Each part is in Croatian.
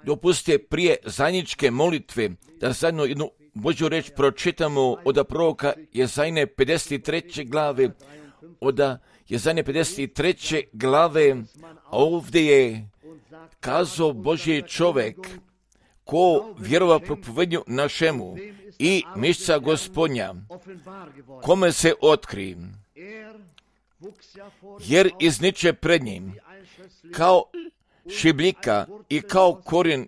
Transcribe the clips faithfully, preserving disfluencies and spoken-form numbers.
Dopustite prije zajedničke molitve da zajedno jednu Božju reč pročitamo od proroka Jezajne pedeset treće glave, od Jezajne pedeset treće glave, a ovdje je kazao Božji čovjek, ko vjerova propovednju našemu i mišca Gospodnja, kome se otkri, jer izniče pred njim kao šibljika i kao korijen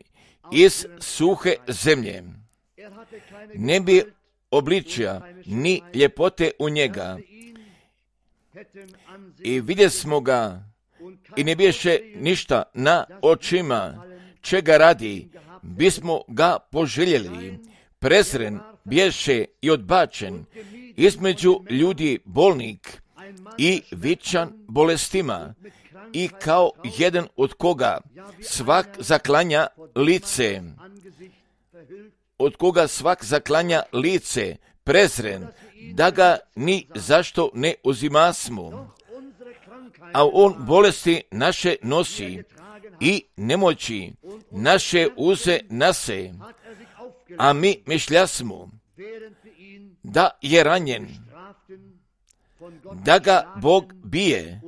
iz suhe zemlje. Ne bi obličja ni ljepote u njega. I vidje smo ga i ne biješe ništa na očima, čega radi, bismo ga poželjeli. Prezren biješe i odbačen, između ljudi bolnik i vičan bolestima, i kao jedan od koga svak zaklanja lice, od koga svak zaklanja lice, prezren, da ga ni zašto ne uzimasmo. A on bolesti naše nosi i nemoći naše uze nase, a mi mišljasmo da je ranjen, da ga Bog bije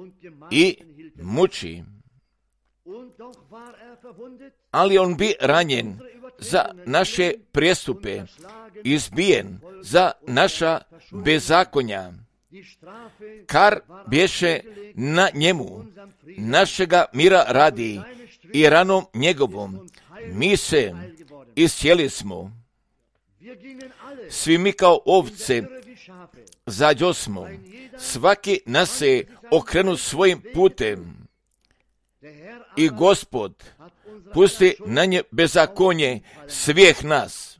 i muči. Ali on bi ranjen za naše prijestupe, izbijen za naša bezakonja. Kar bješe na njemu, našega mira radi, i ranom njegovom mi se iscijeli smo. Svi mi kao ovce zađosmo, svaki nas se okrenu svojim putem. I Gospod pusti na nje bezakonje svih nas.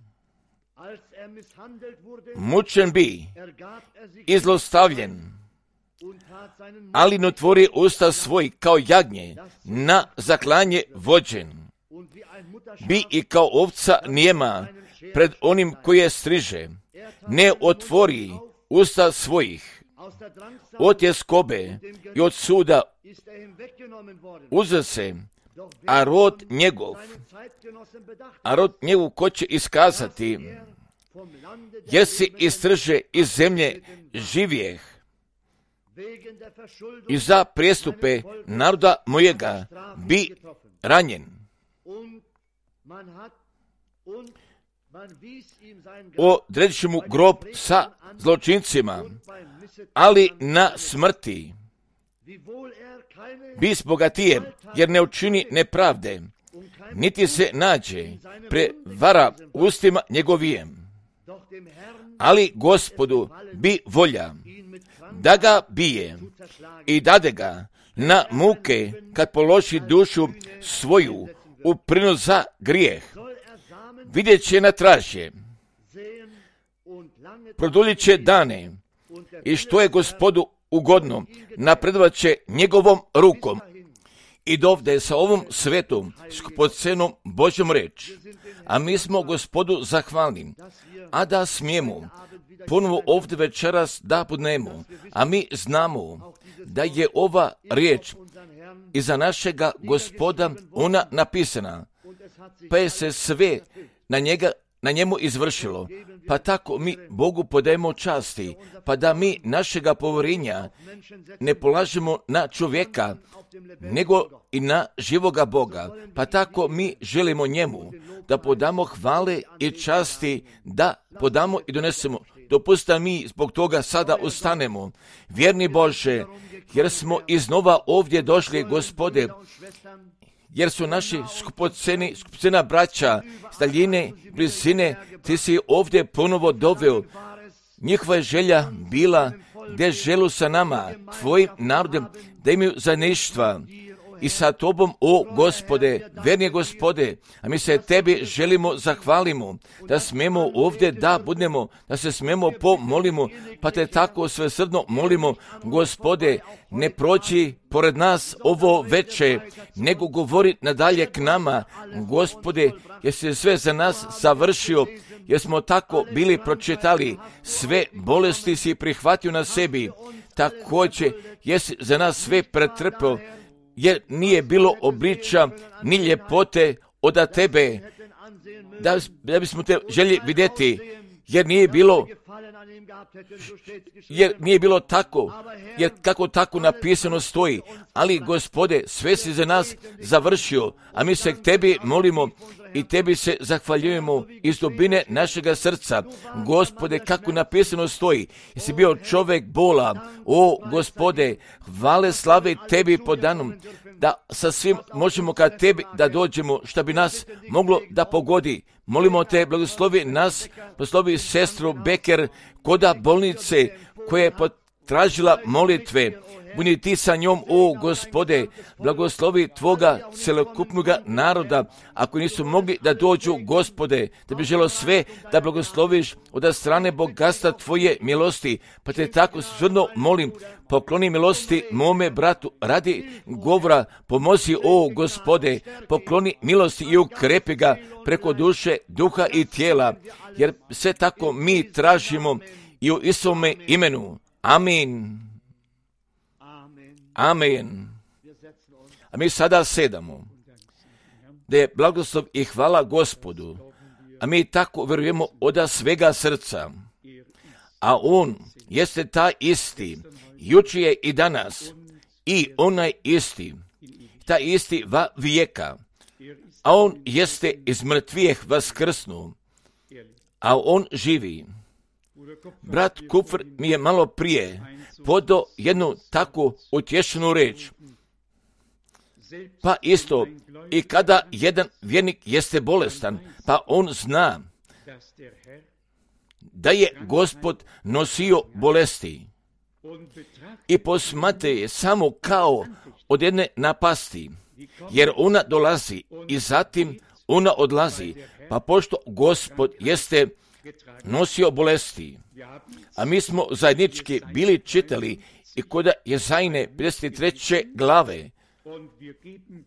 Mučen bi i zlostavljen, ali ne otvori usta svoj kao jagnje, na zaklanje vođen. Bi i kao ovca nijema pred onim koji je striže, ne otvori usta svojih. Od tjeskobe i od suda uze se, a rod njegov, a rod njegov ko će iskazati, jer si istrže iz zemlje živjeh. I za prijestupe naroda mojega bi ranjen. Odredit će mu grob sa zločincima, ali na smrti bis bogatije, jer ne učini nepravde, niti se nađe prevara ustima njegovijem. Ali Gospodu bi volja da ga bije i dade ga na muke kad položi dušu svoju u prinos za grijeh. Vidjet će na tražje, produljit će dane i što je Gospodu ugodno, napredovat će njegovom rukom. I dovde sa ovom svetom, skupocenom Božjom reč, a mi smo Gospodu zahvalni, a da smijemo ponovo ovdje večeras da budemo, a mi znamo da je ova riječ iza našega Gospoda ona napisana, pa je se sve na njega na njemu izvršilo, pa tako mi Bogu podajemo časti, pa da mi našega povjerenja ne polažemo na čovjeka, nego i na živoga Boga, pa tako mi želimo njemu da podamo hvale i časti, da podamo i donesemo. Dopusta mi zbog toga sada ustanemo, vjerni Bože, jer smo iznova ovdje došli, Gospode, jer su naši skupoceni, skupocena braća s daljine, blizine, ti si ovdje ponovo doveo. Njihova je želja bila da želu sa nama, tvojim narodem, da imaju zajedništva i sa tobom, o Gospode, verni Gospode, a mi se tebi želimo zahvalimo, da smemo ovdje da budemo, da se smemo pomolimo, pa te tako svesrdno molimo, Gospode, ne proći pored nas ovo veče, nego govori nadalje k nama, Gospode, jer si sve za nas završio, jer smo tako bili pročitali, sve bolesti si prihvatio na sebi, također jesi za nas sve pretrpio, jer nije bilo obličja ni ljepote od tebe, da, da bismo te želi vidjeti, jer nije bilo jer nije bilo tako, jer kako tako napisano stoji, ali Gospode, sve si za nas završio, a mi se k tebi molimo i tebi se zahvaljujemo iz dubine našega srca. Gospode, kako napisano stoji, jesi bio čovjek bola, o Gospode, hvale slave tebi po danom, da sa svim možemo ka tebi da dođemo, što bi nas moglo da pogodi. Molimo te, blagoslovi nas, blagoslovi sestru Beker koda bolnice koja je potražila molitve. Budi ti sa njom, o Gospode, blagoslovi tvoga celokupnoga naroda, ako nisu mogli da dođu, Gospode, da bi želo sve da blagosloviš od strane bogatstva tvoje milosti, pa te tako svrno molim, pokloni milosti mome bratu radi govora, pomozi, o Gospode, pokloni milosti i ukrepi ga preko duše, duha i tijela, jer sve tako mi tražimo i u Isovome imenu. Amin. Amen. A mi sada sedamo, da je blagoslov i hvala Gospodu, a mi tako vjerujemo od svega srca. A On jeste taj isti, jučer je i danas, i onaj isti, taj isti va vijeka. A On jeste iz mrtvijeh vaskrsnu, a On živi. Brat Kupfer mi je malo prije podao jednu takvu utješenu reč. Pa isto, i kada jedan vjernik jeste bolestan, pa on zna da je Gospod nosio bolesti i posmatra je samo kao od jedne napasti, jer ona dolazi i zatim ona odlazi, pa pošto Gospod jeste nosio bolesti, a mi smo zajednički bili čitali i kod Jezajne pedeset treće glave,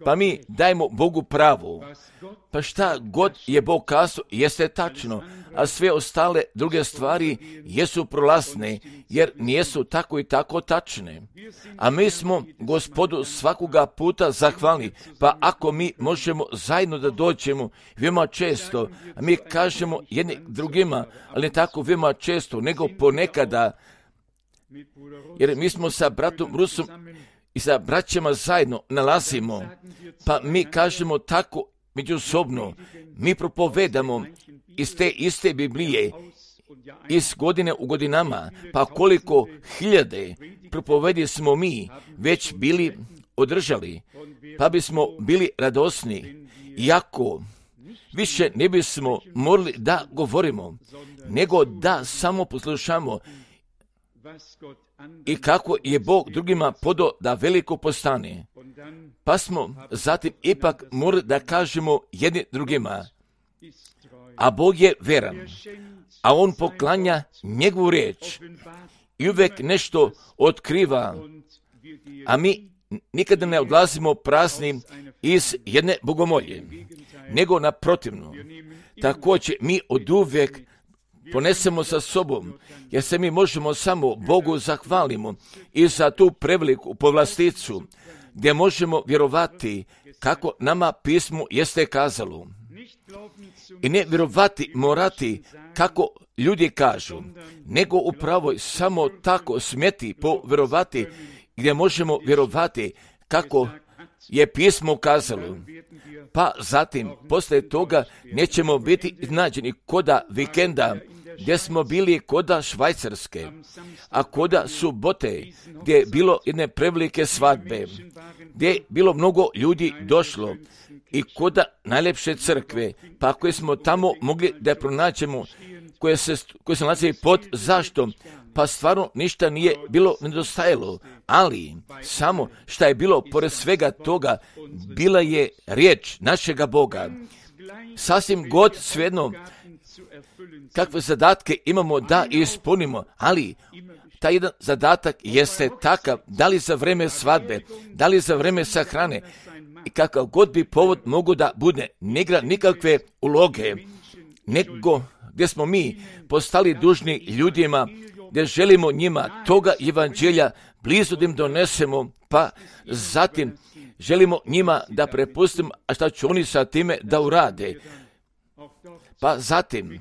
pa mi dajemo Bogu pravo, pa šta god je Bog kazao jeste tačno, a sve ostale druge stvari jesu prolazne, jer nijesu tako i tako tačne. A mi smo Gospodu svakoga puta zahvalni, pa ako mi možemo zajedno da dođemo veoma često, a mi kažemo jedni drugima, ali ne tako veoma često, nego ponekada, jer mi smo sa bratom Rusom i sa braćama zajedno nalazimo, pa mi kažemo tako međusobno, mi propovedamo iz te iste Biblije, iz godine u godinama, pa koliko hiljade propovedi smo mi već bili održali, pa bismo bili radosni, iako više ne bismo morali da govorimo, nego da samo poslušamo i kako je Bog drugima podao da veliko postane. Pa smo zatim ipak morali da kažemo jedni drugima, a Bog je veran, a On poklanja njegovu riječ i uvijek nešto otkriva, a mi nikada ne odlazimo prazni iz jedne bogomolje, nego naprotivno. Također mi oduvijek ponesemo sa sobom, jer se mi možemo samo Bogu zahvalimo i za tu preveliku povlasticu, gdje možemo vjerovati kako nama pismo jeste kazalo. I ne vjerovati morati kako ljudi kažu, nego upravo samo tako smjeti povjerovati, gdje možemo vjerovati kako je pismo kazalo. Pa zatim, poslije toga, nećemo biti iznađeni koda vikenda, gdje smo bili koda Švajcarske, a koda subote, gdje je bilo jedne prevelike svadbe, gdje je bilo mnogo ljudi došlo, i koda najljepše crkve, pa koje smo tamo mogli da pronađemo, koje se, koje se nalazi pod zaštom, pa stvarno ništa nije bilo nedostajalo, ali samo šta je bilo pored svega toga, bila je riječ našega Boga. Sasvim god svejedno kakve zadatke imamo da ispunimo, ali taj jedan zadatak jeste takav, da li za vreme svadbe, da li za vreme sahrane, i kakav god bi povod mogu da bude, ne igra nikakve uloge, nego gdje smo mi postali dužni ljudima, gdje želimo njima toga evanđelja blizu da im donesemo, pa zatim želimo njima da prepustimo, a šta će oni sa time da urade. Pa zatim,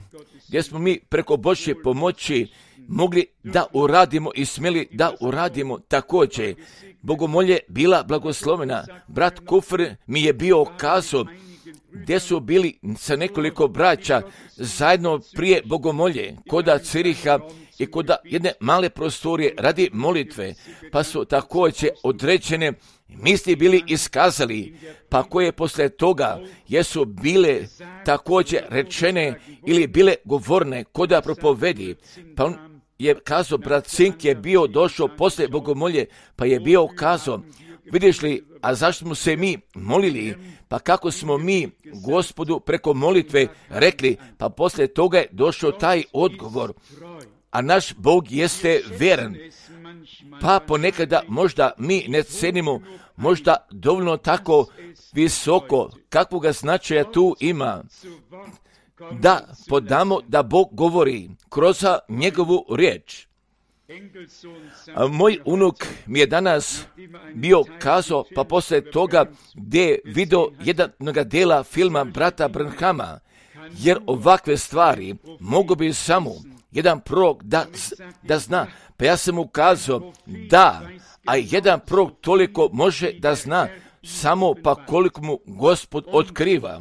gdje smo mi preko Božje pomoći mogli da uradimo i smjeli da uradimo također. Bogomolje bila blagoslovena. Brat Kufr mi je bio kazao gdje su bili sa nekoliko braća zajedno prije bogomolje, koda Ciriha i koda jedne male prostorije radi molitve, pa su također određene misli bili iskazali, pa koje poslije toga jesu bile također rečene ili bile govorne koda propovedi, pa on je kazao, brat Cink je bio došao poslije bogomolje, pa je bio kazao, vidiš li, a zašto smo se mi molili, pa kako smo mi Gospodu preko molitve rekli, pa poslije toga je došao taj odgovor, a naš Bog jeste vjeran, pa ponekada možda mi ne cenimo, možda dovoljno tako visoko, kakvoga značaja tu ima, da podamo da Bog govori kroz njegovu riječ. A moj unuk mi je danas bio kazao, pa poslije toga gdje je vidio jednog dela filma brata Branhama, jer ovakve stvari mogu bi samo jedan prorok da, da zna. Pa ja sam mu kazao da, a jedan prorok toliko može da zna, samo pa koliko mu Gospod otkriva.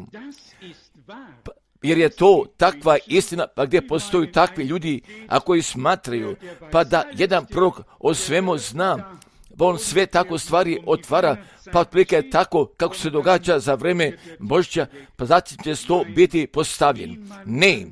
Pa, jer je to takva istina, pa gdje postoju takvi ljudi, a koji smatraju, pa da jedan prorok o svemu zna, pa on sve tako stvari otvara, pa otprilike tako kako se događa za vrijeme Božića, pa zatim će to biti postavljen. Ne,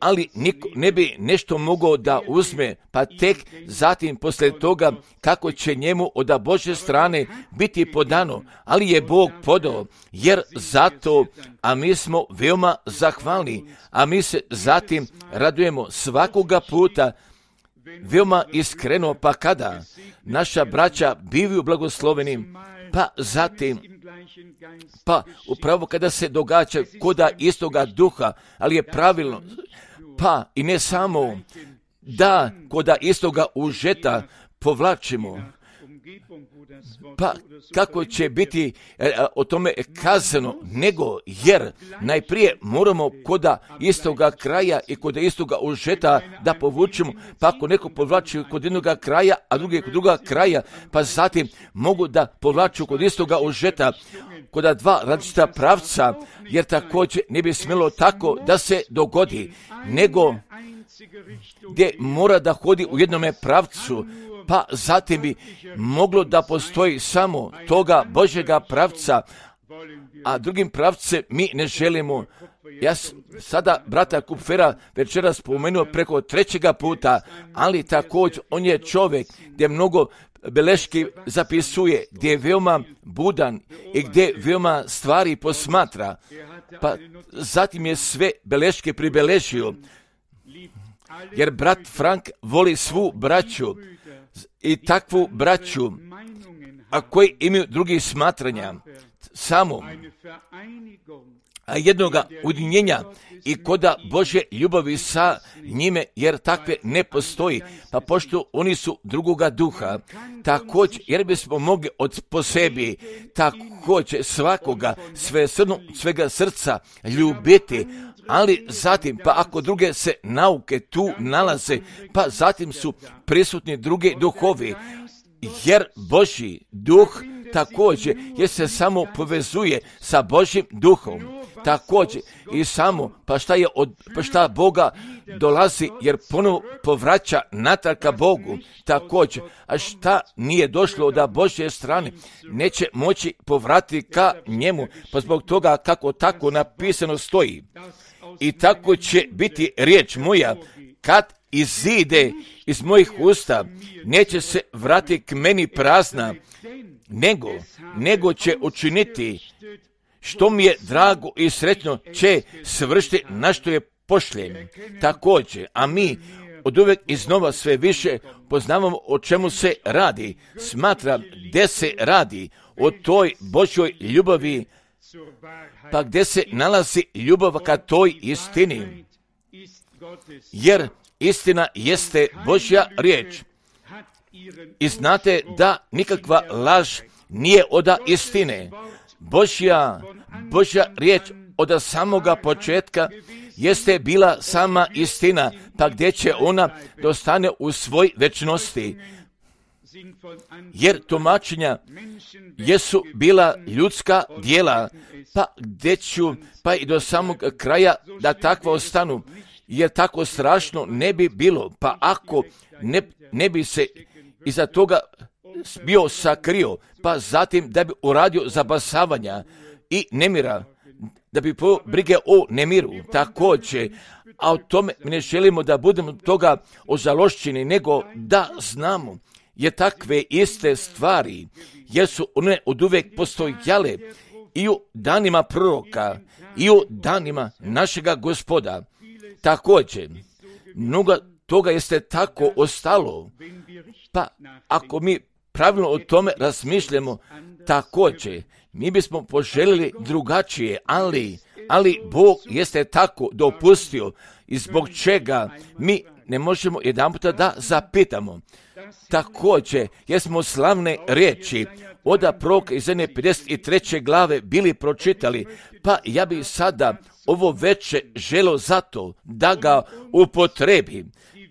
ali niko ne bi nešto mogao da uzme, pa tek zatim poslije toga kako će njemu od Božje strane biti podano, ali je Bog podao, jer zato, a mi smo veoma zahvalni, a mi se zatim radujemo svakoga puta, veoma iskreno, pa kada naša braća bivaju blagosloveni, pa zatim, pa upravo kada se događa koda istoga duha, ali je pravilno, pa i ne samo da koda istoga užeta povlačimo, pa kako će biti e, o tome kazano, nego jer najprije moramo koda istoga kraja i kod istoga užeta da povučemo, pa ako neko povlači kod jednog kraja, a drugi kod druga kraja, pa zatim mogu da povlaču kod istoga užeta, kod dva različita pravca, jer također ne bi smjelo tako da se dogodi, nego gdje mora da hodi u jednome pravcu, pa zatim bi moglo da postoji samo toga Božjega pravca, a drugim pravce mi ne želimo. Ja sada brata Kupfera večeras spomenuo preko trećega puta, ali također on je čovjek gdje mnogo beleški zapisuje, gdje je veoma budan i gdje veoma stvari posmatra, pa zatim je sve beleške pribeležio, jer brat Frank voli svu braću i takvu braću, a koji imaju drugih smatranja, samo a jednoga ujedinjenja i koda Božje ljubavi sa njime, jer takve ne postoji, pa pošto oni su drugoga duha, također, jer bismo mogli od po sebi također svakoga sve srno, svega srca ljubiti, ali zatim, pa ako druge se nauke tu nalaze, pa zatim su prisutni drugi duhovi, jer Božji duh također, jer se samo povezuje sa Božjim duhom, također i samo, pa šta je od, pa šta Boga dolazi, jer ponovo povraća natrag ka Bogu, također, a šta nije došlo od Božje strane, neće moći povratiti ka njemu, pa zbog toga kako tako napisano stoji. I tako će biti riječ moja, kad izide iz mojih usta, neće se vratiti k meni prazna, nego, nego će učiniti što mi je drago i sretno, će svršiti na što je pošljen. Također, a mi od uvijek iznova sve više poznavamo o čemu se radi. Smatram gdje se radi o toj Božjoj ljubavi, pa gdje se nalazi ljubav ka toj istini. Jer istina jeste Božja riječ. I znate da nikakva laž nije oda istine. Božja, Božja riječ od samoga početka jeste bila sama istina, pa gdje će ona dostane u svoj večnosti. Jer tumačenja jesu bila ljudska djela, pa gdje ću, pa i do samog kraja da takva ostanu, jer tako strašno ne bi bilo, pa ako ne, ne bi se iza toga bio sakrio, pa zatim da bi uradio zabasavanja i nemira, da bi po brige o nemiru, također, a o tome mi ne želimo da budemo toga ožalošćeni, nego da znamo, jer takve iste stvari, jer su one od uvijek postojale i u danima proroka, i u danima našega Gospoda. Također, mnogo toga jeste tako ostalo, pa ako mi pravilno o tome razmišljamo, također, mi bismo poželjeli drugačije, ali, ali Bog jeste tako dopustio i zbog čega mi ne možemo jedanputa da zapitamo. Također, jer smo slavne riječi od proroka iz jedne pedeset treće glave bili pročitali, pa ja bih sada ovo veče želio zato da ga upotrebi,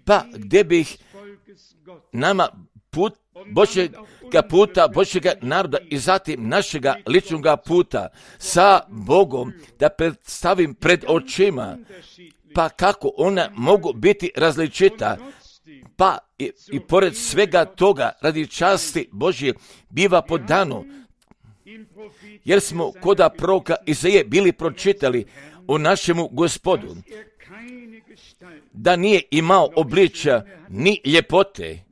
pa gdje bih nama put Božjega puta, Božjega naroda i zatim našega ličnoga puta sa Bogom da predstavim pred očima, pa kako ona mogu biti različita, pa i, i pored svega toga radi časti Božje biva podano, jer smo koda proroka Izaije bili pročitali o našemu Gospodu, da nije imao obličja ni ljepote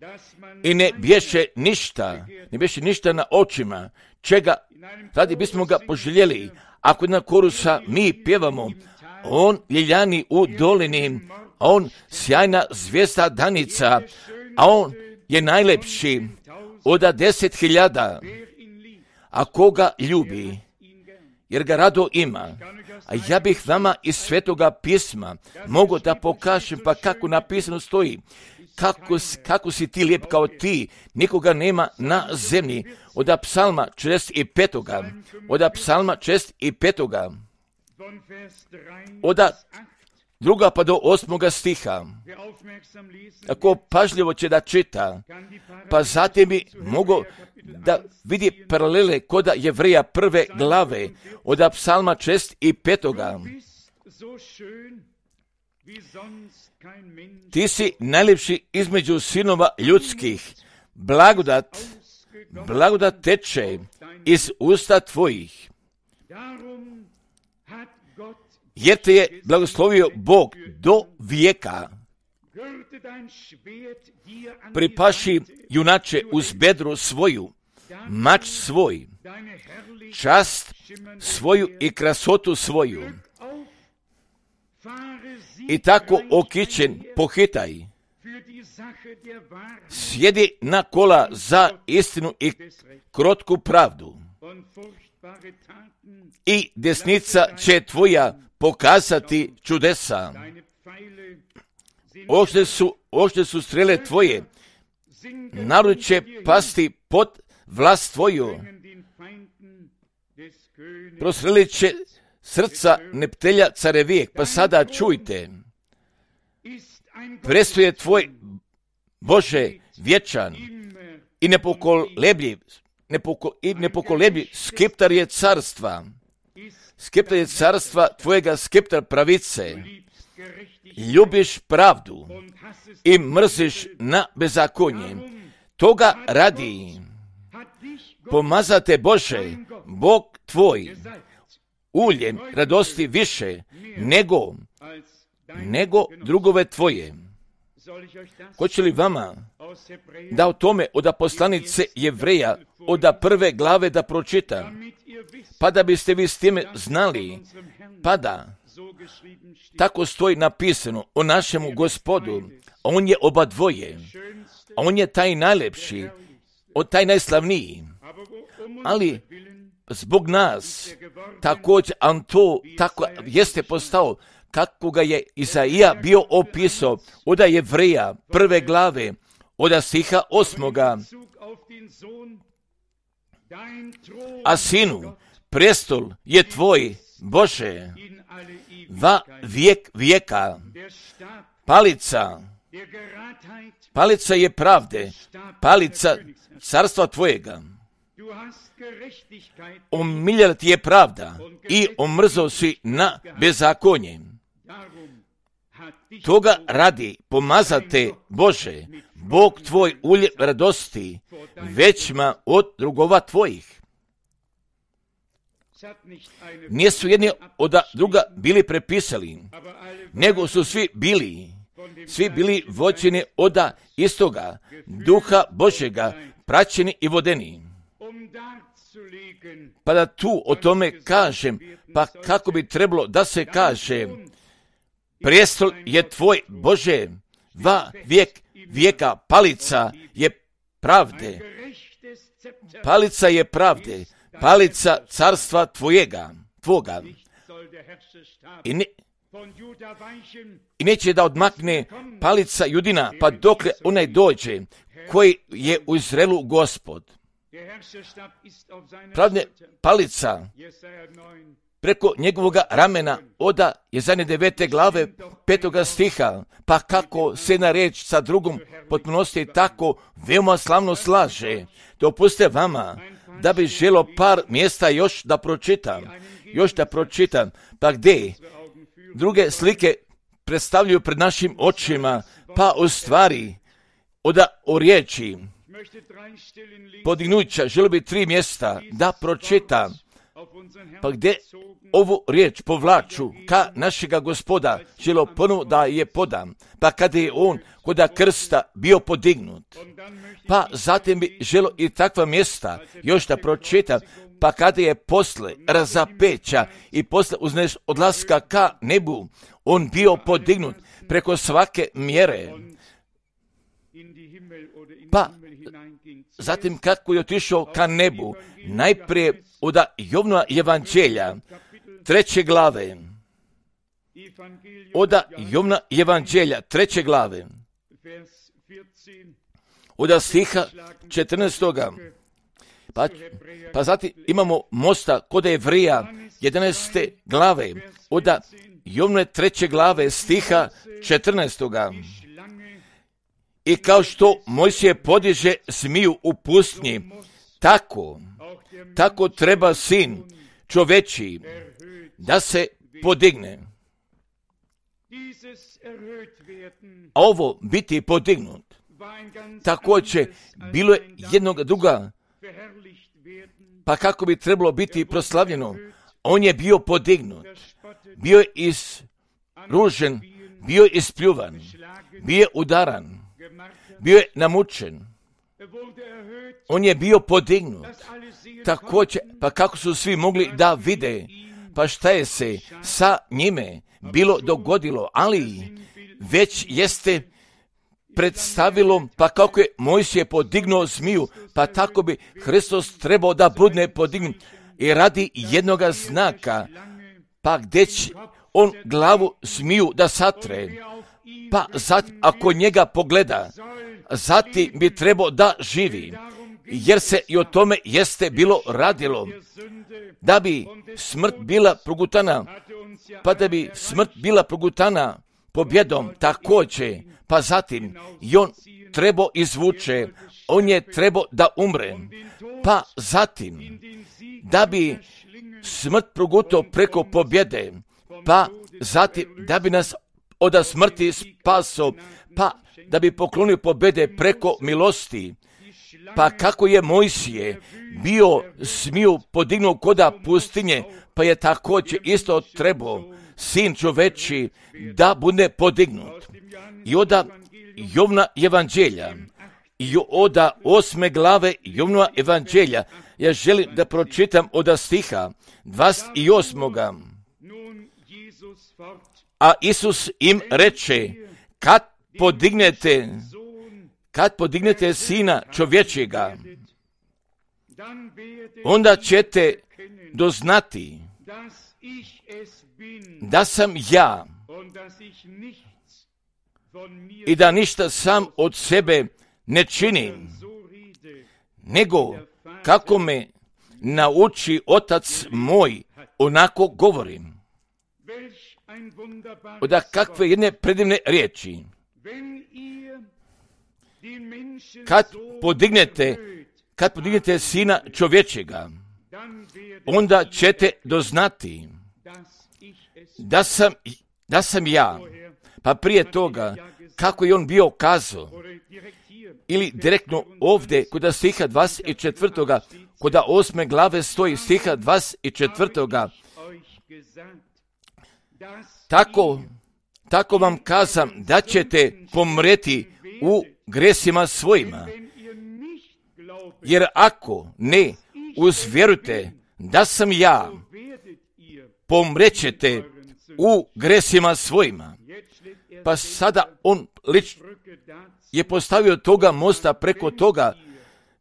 i ne bješe ništa, ne bješe ništa na očima, čega radi bismo ga poželjeli. Ako na korusa mi pjevamo, on ljiljani u dolini, on sjajna zvijezda danica, a on je najlepši od deset hiljada, a koga ljubi, jer ga rado ima. A ja bih vama iz Svetoga pisma mogu da pokažem, pa kako napisano stoji, kako, kako si ti lijep kao ti, nikoga nema na zemlji. Od psalma četrdeset pet. Od psalma četrdeset pet. Od druga pa do osmoga stiha. Ako pažljivo će da čita, pa zatim bi mogo da vidi paralele koda Jevreja prve glave od psalma četrdeset pet. Ti si najljepši između sinova ljudskih, blagodat, blagodat teče iz usta tvojih. Jer te je blagoslovio Bog do vijeka. Pripaši, junače, uz bedru svoju, mač svoj, čast svoju i krasotu svoju. I tako okićen pohitaj, sjedi na kola za istinu i krotku pravdu. I desnica će tvoja pokazati čudesa. Oštre su, oštre su strele tvoje, narod će pasti pod vlast tvoju. Prostrelit će srca neptelja carevijek, pa sada čujte. Prestoje tvoj Bože vječan i nepokolebljiv, nepoko, i nepokolebljiv skeptar je carstva. Skeptar je carstva tvojega, skeptar pravice. Ljubiš pravdu i mrziš na bezakonje. Toga radi pomazate Bože, Bog tvoj, uljem radosti više nego, nego drugove tvoje. Hoće li vama da o tome od poslanice Jevreja, od prve glave da pročita, pa da biste vi s time znali, pa da tako stoji napisano o našemu Gospodu, on je oba dvoje, on je taj najlepši, on taj najslavniji, ali zbog nas također on to tako jeste postao kako ga je Izaija bio opisao od Jevreja prve glave od stiha osmoga. A sinu, prestol je tvoj, Bože, va vijek vijeka. Palica, palica je pravde, palica carstva tvojega. Omiljala ti je pravda i omrzao si na bezakonje. Toga radi pomazate, Bože, Bog tvoj ulje radosti, većma od drugova tvojih. Nisu jedni od druga bili prepisali, nego su svi bili, svi bili vođeni od istoga duha Božjega, praćeni i vodeni. Pa da tu o tome kažem, pa kako bi trebalo da se kaže, prijestol je tvoj, Bože, va vijek vijeka, palica je pravde, palica je pravde, palica carstva tvojega, tvoga. I, ne, I neće da odmakne palica Judina, pa dokle onaj dođe, koji je u Izraelu Gospod. Pravde palica preko njegovoga ramena oda Jezanje devete glave petoga stiha, pa kako se jedna reč sa drugom potpunosti tako veoma slavno slaže. Dopustite vama da bi želo par mjesta još da pročitam, još da pročitam, pa gdje druge slike predstavljaju pred našim očima, pa u stvari oda o riječi podignuća, želo bi tri mjesta da pročitam, pa gdje ovu riječ povlaču ka našega Gospoda, želo ponovo da je podam, pa kada je on kod krsta bio podignut, pa zatim bi želo i takva mjesta još da pročitam, pa kada je posle razapeća i posle uzneš odlaska ka nebu, on bio podignut preko svake mjere. Pa zatim kako je otišao ka nebu, najprije od Jovnova evanđelja, treće glave, od Jovnova evanđelja, treće glave, od stiha četrnaestoga, pa, pa zatim imamo mosta kod Jevrija, jedanaeste glave, od Jovnove treće glave, stiha četrnaestoga. I kao što Mojsije podiže zmiju u pustinji, tako, tako treba sin čoveči da se podigne. A ovo biti podignut, također bilo je jednog druga, pa kako bi trebalo biti proslavljeno, on je bio podignut, bio je izružen, bio je ispljuvan, bio je udaran, bio je namučen, on je bio podignut, također, pa kako su svi mogli da vide, pa šta je se sa njime bilo dogodilo, ali već jeste predstavilo, pa kako je Mojsije podignuo zmiju, pa tako bi Hristos trebao da bude podignut i radi jednoga znaka, pa gdje će on glavu zmiju da satre, pa zatim ako njega pogleda, zatim bi trebao da živi, jer se i o tome jeste bilo radilo, da bi smrt bila progutana, pa da bi smrt bila progutana pobjedom također, pa zatim i on trebao izvuče, on je trebao da umre, pa zatim da bi smrt progutao preko pobjede, pa zatim da bi nas od smrti spaso, pa da bi poklonio pobjede preko milosti, pa kako je Mojsije bio smiju podignuo koda pustinje, pa je također isto trebao sin čoveči da bude podignut. I oda Jovna evanđelja, i oda osme glave Jovnova evanđelja, ja želim da pročitam od stiha dvadeset osmoga. A Isus im reče, kad podignete, kad podignete sina čovječjega, onda ćete doznati da sam ja i da ništa sam od sebe ne činim, nego kako me nauči otac moj, onako govorim. Oda kakve jedne predivne riječi. Kad podignete, kad podignete sina čovječega, onda ćete doznati da sam, da sam ja. Pa prije toga, kako je on bio kazao, ili direktno ovdje, kod stiha dvadeset četvrtoga, kod osme glave stoji stiha dvadeset četvrtoga, tako, tako vam kazam da ćete pomreti u gresima svojima. Jer ako ne uzvjerujete da sam ja, pomrećete u gresima svojima. Pa sada on lično je postavio toga mosta preko toga,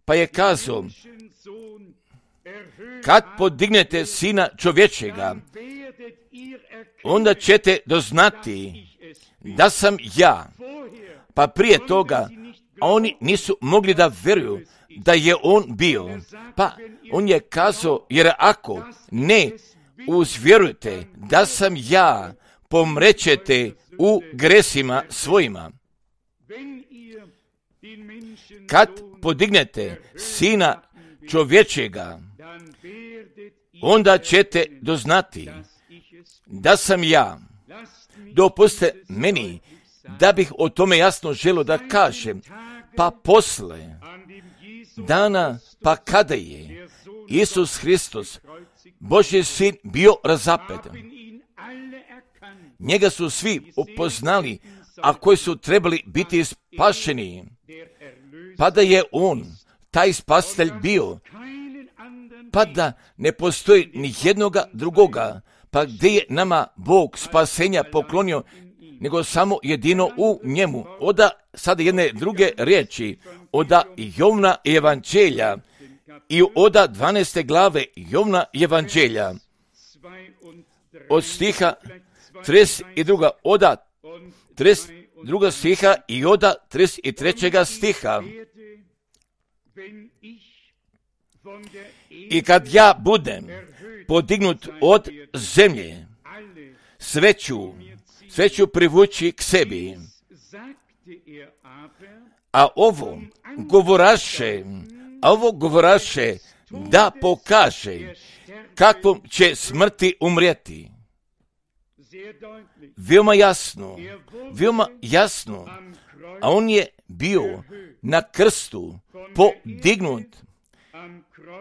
pa je kazao, kad podignete sina čovječega, onda ćete doznati da sam ja. Pa prije toga, a oni nisu mogli da vjeruju da je on bio. Pa on je kazao, jer ako ne uzvjerujete da sam ja, pomrećete u gresima svojima. Kad podignete sina čovječega, onda ćete doznati da sam ja. Dopustite meni da bih o tome jasno želio da kažem. Pa posle dana, pa kada je Isus Hristos, Božji sin, bio razapet, njega su svi upoznali, a koji su trebali biti spašeni, pa da je on, taj spasitelj bio, pa da ne postoji ni jednoga drugoga, pa gdje je nama Bog spasenja poklonio, nego samo jedino u njemu. Oda sada jedne druge riječi, oda Jovna evanđelja i oda dvanaeste glave Jovna evanđelja, od stiha trideset dva, oda trideset dva stiha i oda trideset tri stiha. I kad ja budem podignut od zemlje, sve ću, sve ću privući k sebi. A ovo govoraše, a ovo govoraše da pokaže kakvom će smrti umrijeti. Veoma jasno, veoma jasno, a on je bio na krstu podignut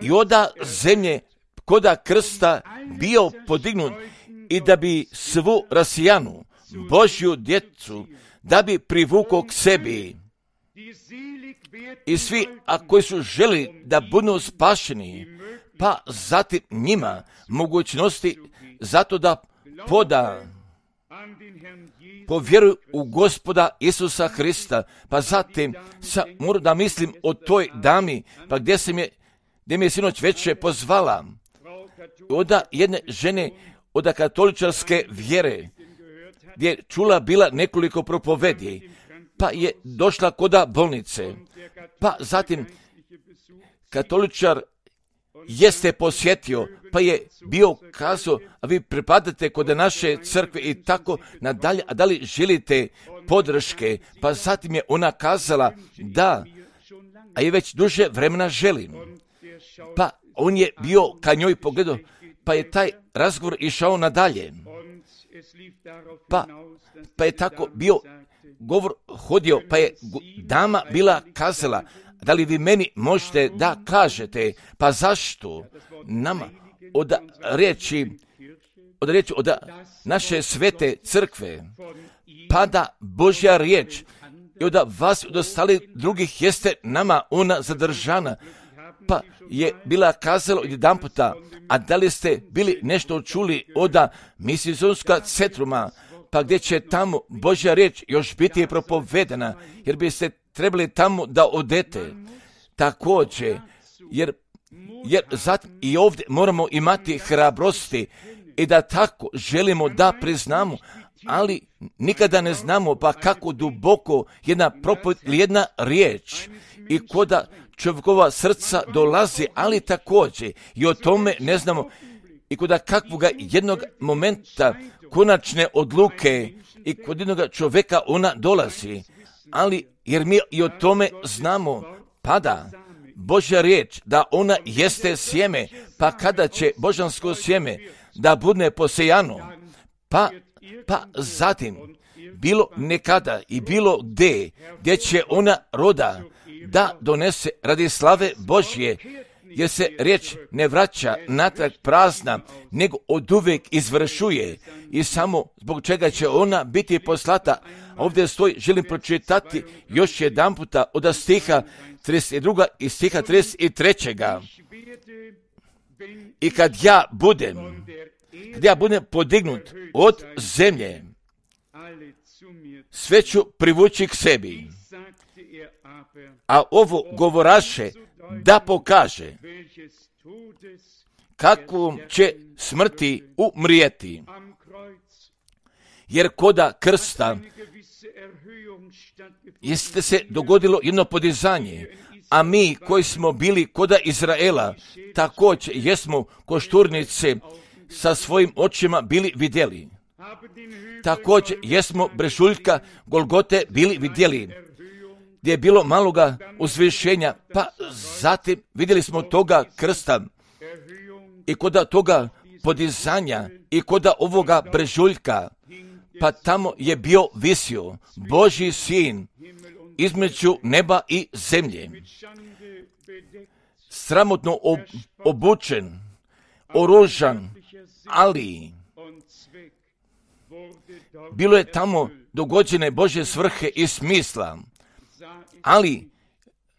i oda zemlje koda krsta bio podignut i da bi svu rasijanu Božju djecu da bi privukao k sebi. I svi, a koji su želi da budu spašeni, pa zatim njima mogućnosti zato da poda povjeruju u Gospoda Isusa Hrista, pa zatim sa, moram da mislim o toj dami, pa gdje se je, gdje mi je sinoć večer pozvala, oda jedne žene od katoličarske vjere, gdje je čula bila nekoliko propovedi, pa je došla koda bolnice, pa zatim katoličar jeste posjetio, pa je bio kazao, a vi pripadate kod naše crkve i tako nadalje, a da li želite podrške? Pa zatim je ona kazala da, a je već duže vremena želim. Pa on je bio ka njoj pogledao, pa je taj razgovor išao nadalje. Pa, pa je tako bio govor hodio, pa je dama bila kazala, da li vi meni možete da kažete, pa zašto nama od riječi, od riječi od naše svete crkve pada Božja riječ i od vas od ostalih drugih jeste nama ona zadržana, pa je bila kazala jedan puta, a da li ste bili nešto čuli od misijskog centruma, pa gdje će tamo Božja riječ još biti propovedena, jer biste trebali tamo da odete. Također, jer, jer zatim i ovdje moramo imati hrabrosti i da tako želimo da priznamo, ali nikada ne znamo pa kako duboko jedna propovjed ili jedna riječ i koda čovjekova srca dolazi, ali također i o tome ne znamo i koda kakvoga jednog momenta konačne odluke i kod jednog čovjeka ona dolazi, ali jer mi i o tome znamo, pada Božja riječ da ona jeste sjeme, pa kada će božansko sjeme da bude posejano, pa, pa zatim bilo nekada i bilo gdje, gdje će ona roda da donese radi slave Božje, jer se riječ ne vraća natrag prazna, nego oduvijek izvršuje i samo zbog čega će ona biti poslata. Ovdje stoji, želim pročitati još jedan puta od stiha trideset dva i stiha trideset tri. I kad ja budem, kad ja budem podignut od zemlje, sve ću privući k sebi. A ovo govoraše da pokaže kakvom će smrti umrijeti. Jer koda krsta jeste se dogodilo jedno podizanje, a mi koji smo bili koda Izraela, također jesmo košturnice sa svojim očima bili vidjeli. Također jesmo brežuljka Golgote bili vidjeli, gdje je bilo maloga uzvišenja, pa zatim vidjeli smo toga krsta i koda toga podizanja i koda ovoga brežuljka, pa tamo je bio visio Božji sin između neba i zemlje, sramotno ob, obučen, oružan, ali bilo je tamo dogođene Božje svrhe i smisla, ali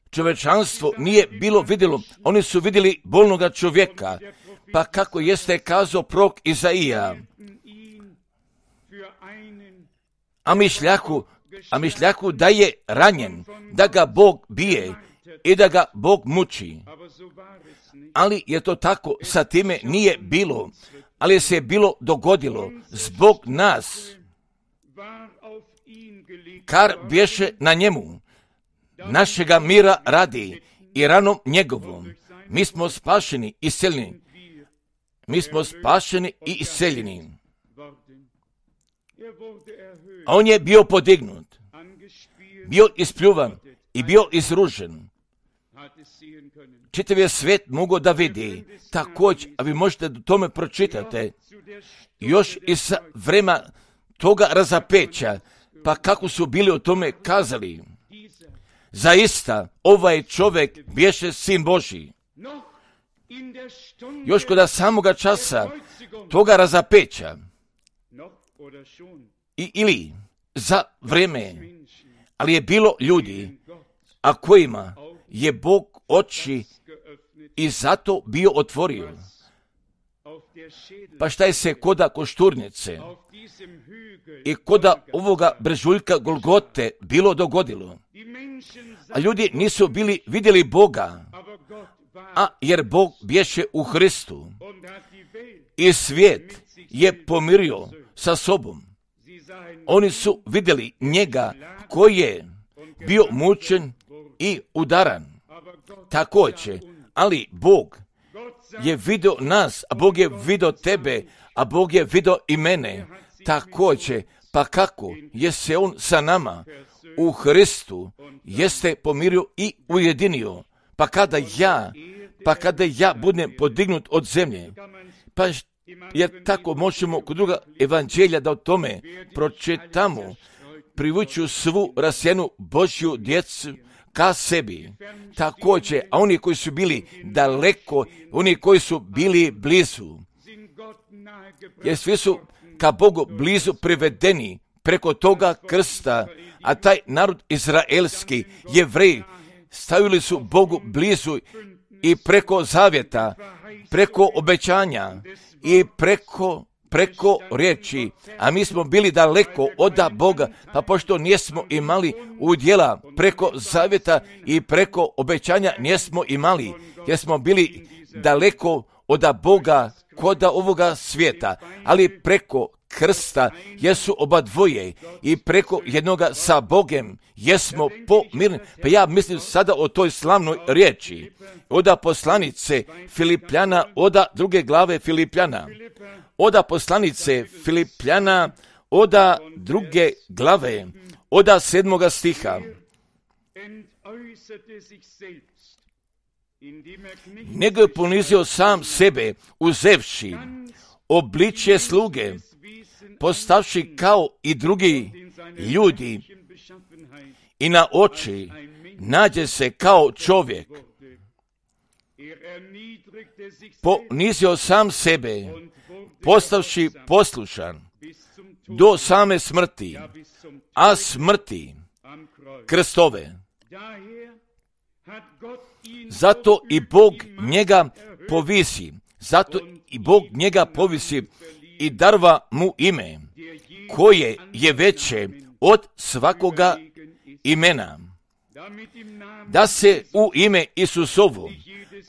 čovječanstvo nije bilo vidjelo, oni su vidjeli bolnoga čovjeka, pa kako jeste kazao prorok Izaija, a mišljaku, a mišljaku da je ranjen, da ga Bog bije i da ga Bog muči. Ali je to tako, sa time nije bilo, ali se je bilo dogodilo zbog nas, kar bješe na njemu, našega mira radi i ranom njegovom. Mi smo spašeni i iseljeni. Mi smo spašeni i iseljeni. A on je bio podignut, bio ispljuvan i bio izružen. Čitav je svijet mogao da vidi, također, a vi možete o tome pročitati, još iz vremena toga razapeća, pa kako su bili o tome kazali. Zaista, ovaj čovjek bješe sin Božji. Još kod samoga časa toga razapeća, I, ili za vreme, ali je bilo ljudi, a kojima je Bog oči i zato bio otvorio. Pa šta je se koda košturnice i koda ovoga brežuljka Golgote bilo dogodilo? A ljudi nisu bili vidjeli Boga, a jer Bog bješe u Hristu i svijet je pomirio sa sobom. Oni su vidjeli njega koji je bio mučen i udaran. Također, ali Bog je vidio nas, a Bog je vidio tebe, a Bog je vidio i mene. Također, pa kako je se on sa nama u Hristu jeste pomirio i ujedinio. Pa kada ja, pa kada ja budem podignut od zemlje, pa jer tako možemo kod druga evanđelja da o tome pročitamo, privuću svu rasjenu Božju djecu ka sebi. Također, a oni koji su bili daleko, oni koji su bili blizu, jer svi su ka Bogu blizu privedeni preko toga krsta, a taj narod izraelski, Jevreji, stavili su Bogu blizu i preko zavjeta, preko obećanja i preko, preko riječi, a mi smo bili daleko od Boga, pa pošto nismo imali udjela preko zavjeta i preko obećanja nismo imali, jer smo bili daleko od Boga koda ovoga svijeta, ali preko krsta jesu oba dvoje i preko jednoga sa Bogem jesmo pomirni. Pa ja mislim sada o toj slavnoj riječi. Oda poslanice Filipljana, oda druge glave Filipljana. Oda poslanice Filipljana, oda druge glave, oda sedmoga stiha. Nego je ponizio sam sebe, uzevši obličje sluge, postavši kao i drugi ljudi i na oči nađe se kao čovjek. Ponizio sam sebe, postavši poslušan do same smrti, a smrti krstove. Zato i Bog njega povisi, zato i Bog njega povisi i darva mu ime, koje je veće od svakoga imena, da se u ime Isusovo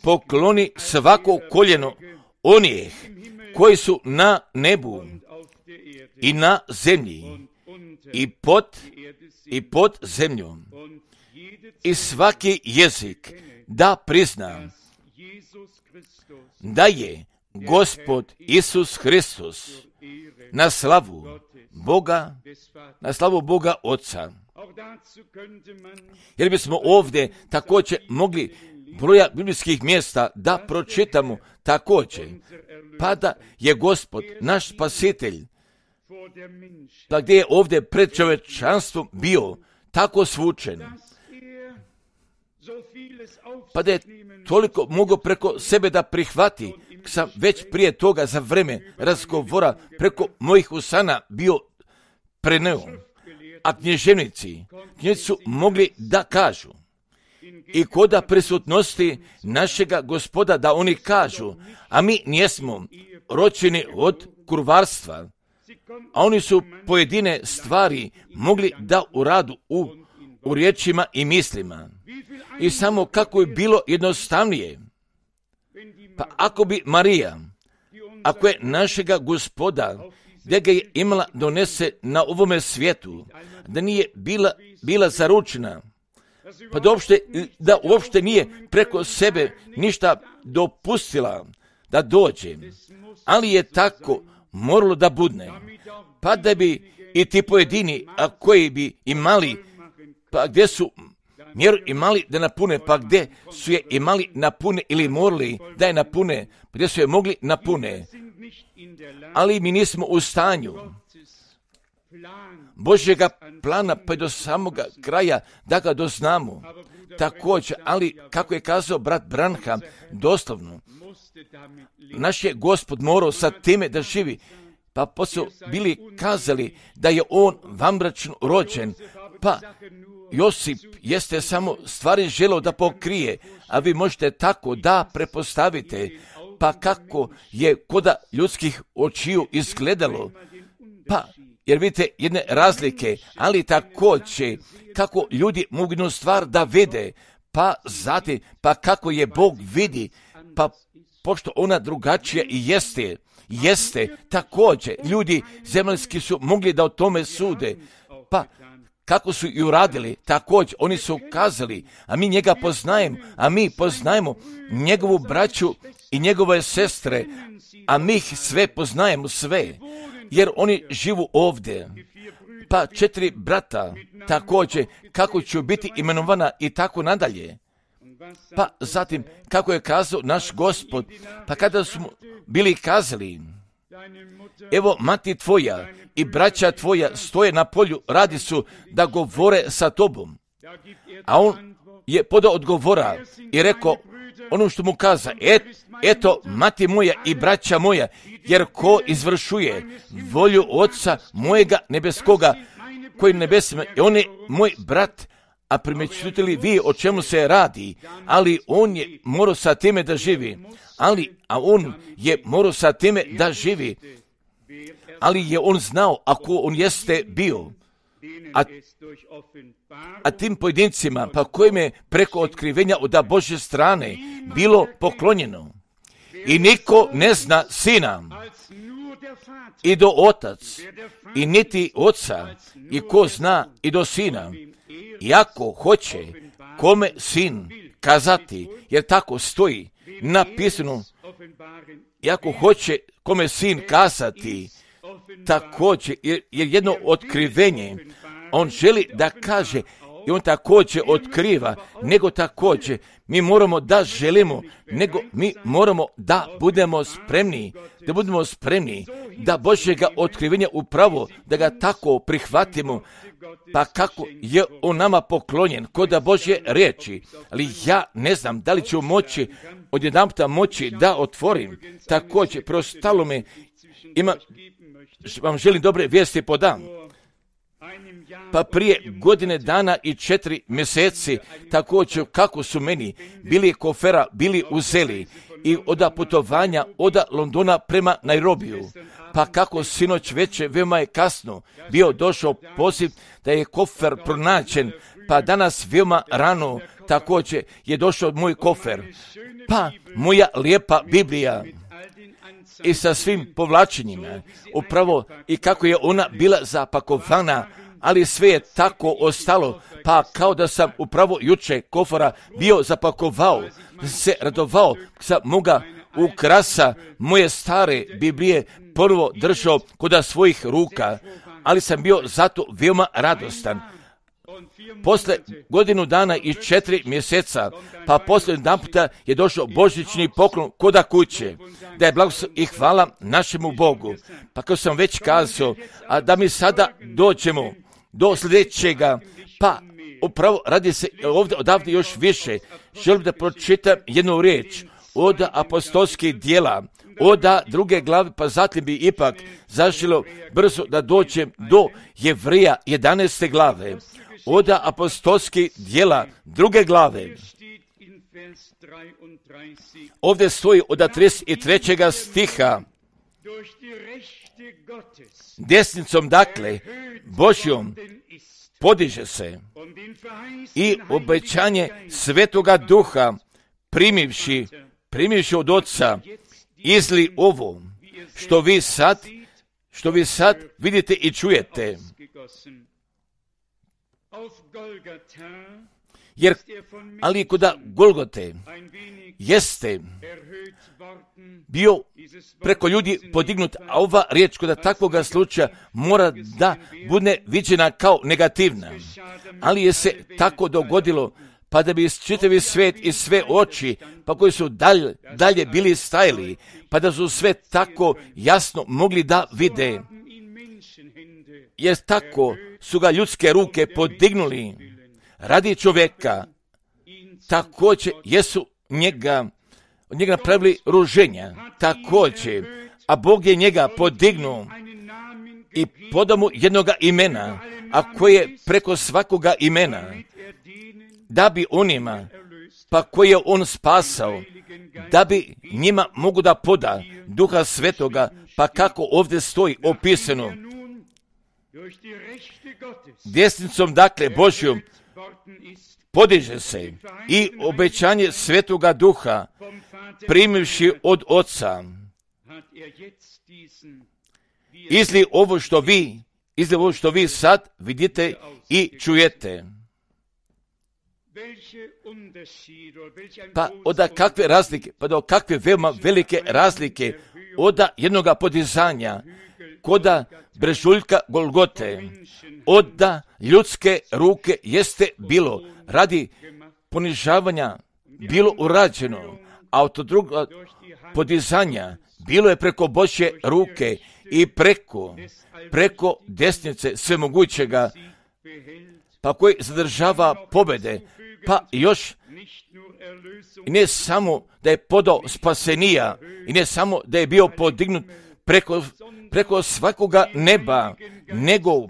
pokloni svako koljeno onih koji su na nebu i na zemlji i pod, i pod zemljom, i svaki jezik da prizna da je Gospod Isus Hristos na slavu Boga, na slavu Boga Oca. Jer bismo ovdje također mogli broja biblijskih mjesta da pročitamo također, pa da je Gospod naš spasitelj, pa gdje je ovdje pred čovječanstvom bio tako svučen, pa da je toliko mogao preko sebe da prihvati. Sam već prije toga za vreme razgovora preko mojih usana bio preneo, a književnici, književnici su mogli da kažu i koda prisutnosti našega Gospoda da oni kažu, a mi nijesmo ročeni od kurvarstva, a oni su pojedine stvari mogli da uradu u, u riječima i mislima. I samo kako je bilo jednostavnije. Pa ako bi Marija, ako je našega Gospoda, gdje ga je imala donese na ovome svijetu, da nije bila, bila zaručena, pa da uopšte, da uopšte nije preko sebe ništa dopustila da dođe, ali je tako moralo da budne, pa da bi i ti pojedini, a koji bi imali, pa gdje su mjeru imali da napune, pa gdje su je imali napune ili morali da je napune, pa gdje su je mogli napune, ali mi nismo u stanju Božjega plana pa do samoga kraja da ga doznamo. Također, ali kako je kazao brat Branham, doslovno, naš je Gospod morao sa time da živi, pa poslije bili kazali da je on vanbračno rođen, pa Josip jeste samo stvari želeo da pokrije, a vi možete tako da prepostavite, pa kako je koda ljudskih očiju izgledalo, pa jer vidite jedne razlike, ali također kako ljudi mogu jednu stvar da vide, pa zatim, pa kako je Bog vidi, pa pošto ona drugačija i jeste, jeste također, ljudi zemaljski su mogli da o tome sude, pa kako su i uradili, također oni su kazali, a mi njega poznajemo, a mi poznajemo njegovu braću i njegove sestre, a mi ih sve poznajemo sve, jer oni živu ovdje. Pa četiri brata, također, kako će biti imenovana i tako nadalje. Pa zatim, kako je kazao naš Gospod, pa kada smo bili kazali, evo mati tvoja i braća tvoja stoje na polju, radi su da govore sa tobom. A on je podao odgovora i rekao ono što mu kaza, et, eto mati moja i braća moja, jer ko izvršuje volju Oca mojega nebeskoga, koji nebesima, i on je moj brat, a primjećujete li vi o čemu se radi, ali on je morao sa time da živi, ali, a on je morao sa time da živi, ali je on znao ako on jeste bio, a, a tim pojedincima, pa kojim je preko otkrivenja od Božje strane bilo poklonjeno. I niko ne zna sina, i do otac, i niti oca, i ko zna i do sina, iako hoće kome sin kazati, jer tako stoji napisano, iako hoće kome sin kazati, također, jer jedno otkrivenje, on želi da kaže, i on također otkriva, nego također mi moramo da želimo, nego mi moramo da budemo spremni, da budemo spremni, da Božjega otkrivenja upravo, da ga tako prihvatimo, pa kako je on nama poklonjen, kod da Božje riječi, ali ja ne znam da li ću moći, odjedanputa moći da otvorim, također, preostalo me, ima, vam želim dobre vijesti podam. Pa prije godine dana i četiri mjeseci, također kako su meni bili kofera, bili uzeli i oda putovanja oda Londona prema Nairobiju. Pa kako sinoć veče, veoma je kasno, bio došao poziv da je kofer pronađen, pa danas veoma rano također je došao moj kofer. Pa moja lijepa Biblija i sa svim povlačenjima, upravo i kako je ona bila zapakovana, ali sve je tako ostalo, pa kao da sam upravo juče kofara bio zapakovao, se radovao, sam moga ukrasa moje stare Biblije prvo držao kod svojih ruka, ali sam bio zato veoma radostan. Posle godinu dana i četiri mjeseca, pa posle jedan puta je došao božićni poklon koda kuće, da je blagoslov i hvala našemu Bogu. Pa kao sam već kazao, a da mi sada dođemo do sljedećega, pa upravo radi se ovdje odavde još više. Želim da pročitam jednu riječ od apostolskih dijela, od druge glave, pa zatim bi ipak zaželio brzo da dođem do Jevreja jedanaeste glave, od apostolskih dijela druge glave. Ovdje stoji od trideset trećeg stiha, desnicom dakle Božjom podiže se i obećanje Svetoga Duha primivši, primivši od Oca, izli ovo što vi sad, što vi sad vidite i čujete. Jer, ali kod Golgote jeste bio preko ljudi podignut, a ova riječ kod takvoga slučaja mora da bude viđena kao negativna. Ali je se tako dogodilo, pa da bi čitavi svet i sve oči, pa koji su dalje, dalje bili stajali, pa da su sve tako jasno mogli da vide. Jer tako su ga ljudske ruke podignuli radi čovjeka, također jesu njega, od njega napravili ruženja, također, a Bog je njega podignuo i podao mu jednoga imena, a koje je preko svakoga imena, da bi onima, pa koje je on spasao, da bi njima mogu da poda Duha Svetoga, pa kako ovdje stoji opisano, desnicom dakle Božjom podiže se i obećanje Svetoga Duha primivši od Oca, izli ovo što vi, izli ovo što vi sad vidite i čujete. Pa od kakve razlike, pa do kakve veoma velike razlike od jednoga podizanja koda brežuljka Golgote, od ljudske ruke jeste bilo radi ponižavanja bilo urađeno, a od druga podizanja bilo je preko Božje ruke i preko, preko desnice svemogućega, pa koji zadržava pobjede, pa još i ne samo da je podao spasenija i ne samo da je bio podignut preko, preko svakoga neba, nego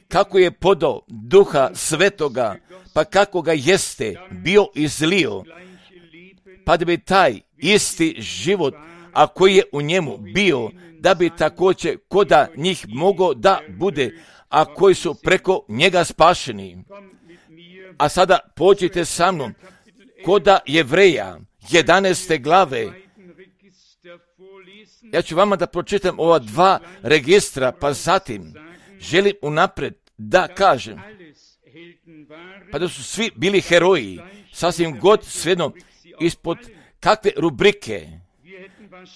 kako je podao Duha Svetoga, pa kako ga jeste bio izlio, pa da bi taj isti život, a koji je u njemu bio, da bi također koda njih mogao da bude, a koji su preko njega spašeni. A sada pođite sa mnom koda Jevreja jedanaeste glave Ja ću vama da pročitam ova dva registra, pa zatim želim unapred da kažem, pa da su svi bili heroji, sasvim god svejedno ispod kakve rubrike,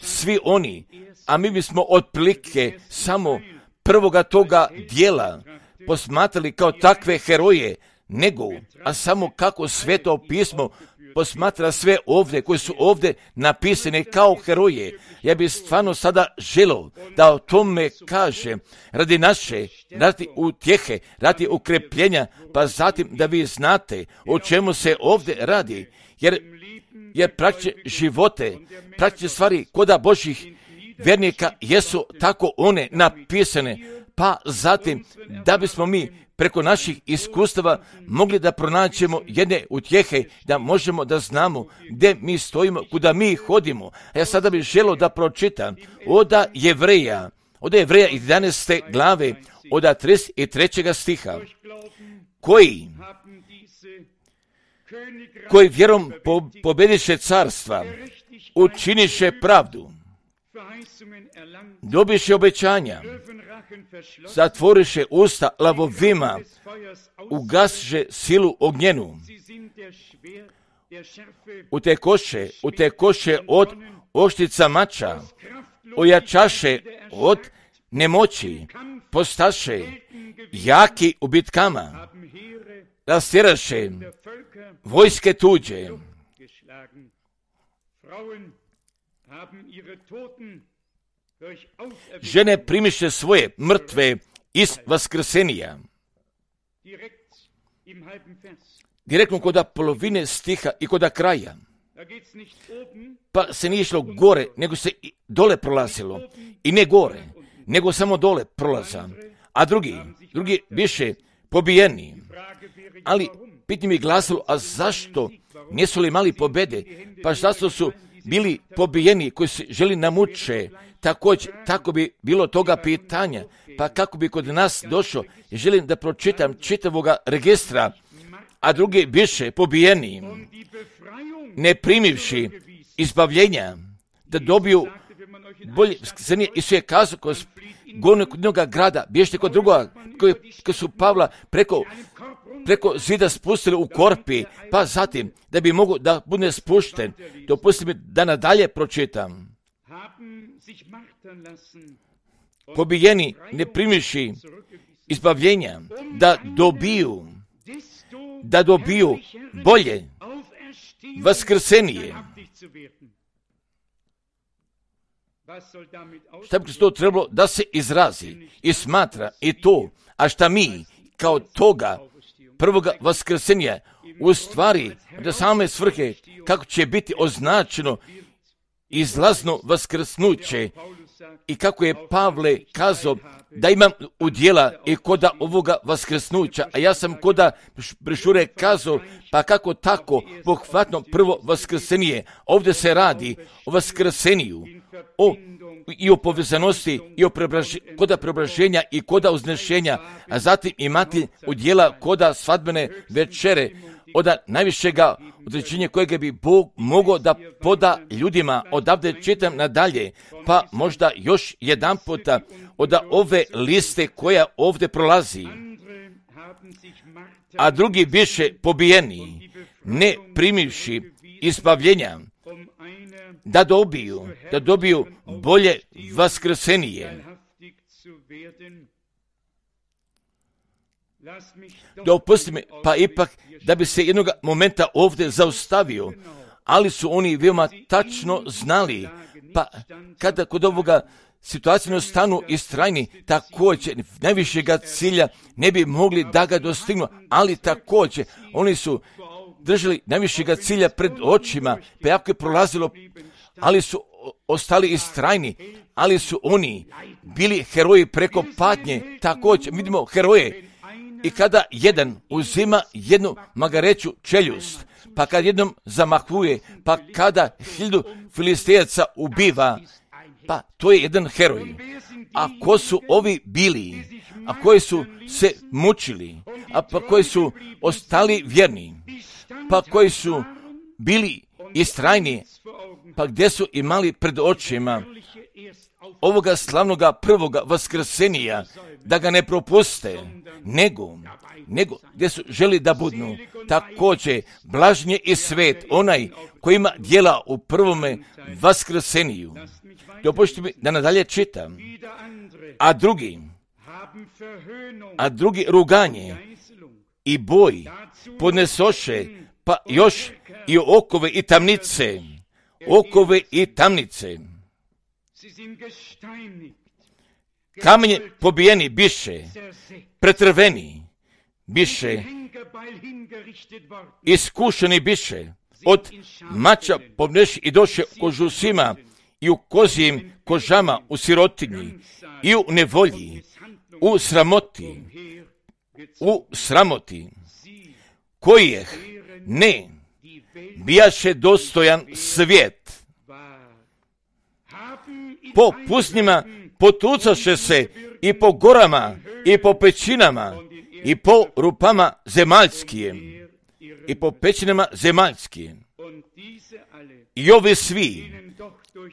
svi oni, a mi bismo otprilike samo prvoga toga dijela posmatrali kao takve heroje, nego, a samo kako Sveto pismo posmatra sve ovdje, koji su ovdje napisane kao heroje. Ja bih stvarno sada želio da o tome kažem, radi naše, radi utjehe, radi ukrepljenja, pa zatim da vi znate o čemu se ovdje radi, jer, jer praktične živote, praktične stvari koda Božih vjernika jesu tako one napisane, pa zatim da bismo mi preko naših iskustava mogli da pronaćemo jedne utjehe, da možemo da znamo gdje mi stojimo, kuda mi hodimo. A ja sada bih želio da pročitam oda Jevreja, oda Jevreja jedanaeste glave, oda trideset trećeg stiha, koji, koji vjerom po, pobediše carstva, učiniše pravdu, dobiše obećanja, zatvoriše usta lavovima, ugasiše silu ognjenu, utekoše, utekoše od oštrica mača, ojačaše od nemoći, postaše jaki u bitkama, rastjeraše vojske tuđe. Žene primiše svoje mrtve iz vaskrsenija. Direktno koda polovine stiha i koda kraja. Pa se nije išlo gore, nego se dole prolazilo. I ne gore, nego samo dole prolaza. A drugi, drugi više pobijeni. Ali pitanje mi glasilo, a zašto nisu li imali pobjede? Pa zašto su bili pobijeni koji se želi namuče? Također, tako bi bilo toga pitanja, pa kako bi kod nas došlo, želim da pročitam čitavoga registra, a drugi više pobijeni, ne primivši izbavljenja, da dobiju bolje, i su je kazao, govorili kod jednoga grada, bježite kod drugoga, koji, koji su Pavla preko, preko zida spustili u korpi, pa zatim, da bi mogo da bude spušten, dopustite mi da nadalje pročitam. Pobijeni, ne primiši izbavljenja, da dobiju, da dobiju bolje vaskrsenije. Šta bi to trebalo da se izrazi i smatra i to, a šta mi kao toga prvoga vaskrsenja u stvari da same svrhe kako će biti označeno izlazno vaskrsnuće i kako je Pavle kazao da imam udjela i koda ovoga vaskrsnuća, a ja sam koda brešure kazao, pa kako tako pohvatno prvo vaskrsenije. Ovdje se radi o vaskrseniju, o, i o povezanosti, i o preobraž, koda preobraženja i koda uznešenja, a zatim imati udjela koda svadbene večere, od najvišega određenja kojega bi Bog mogao da poda ljudima. Odavde čitam nadalje, pa možda još jedan puta od ove liste koja ovdje prolazi. A drugi biše pobijeni, ne primivši izbavljenja, da dobiju, da dobiju bolje vaskrsenije. Dopusti mi, pa ipak da bi se jednog momenta ovdje zaustavio, ali su oni veoma tačno znali, pa kada kod ovoga situacijno stanu istrajni, također najvišega cilja ne bi mogli da ga dostignu, ali također oni su držali najvišega cilja pred očima, pa jako je prolazilo, ali su ostali istrajni, ali su oni bili heroji preko patnje, također vidimo heroje. I kada jedan uzima jednu magareću čeljust, pa kad jednom zamahuje, pa kada hiljadu filistejaca ubiva, pa to je jedan heroj. A ko su ovi bili, a koji su se mučili, a pa koji su ostali vjerni, pa koji su bili istrajni, pa gdje su imali pred očima ovoga slavnoga prvoga vaskrsenija, da ga ne propuste, nego, nego gdje su želi da budnu. Također, blažnje i svet, onaj koji ima djela u prvome vaskrseniju. Dopušćite mi da nadalje čitam. A drugi, a drugi ruganje i boj podnesoše, pa još i okove i tamnice, okove i tamnice. Kamenje pobijeni biše, pretrveni biše, iskušeni biše, od mača pobneši i doše kožu svima i u kozijim kožama u sirotinji i u nevolji, u sramoti, u sramoti, kojih ne bijaše dostojan svijet. Po pustinjama potucaše se i po gorama i po pećinama i po rupama zemaljskim i po pećinama zemaljskim. I ovi svi,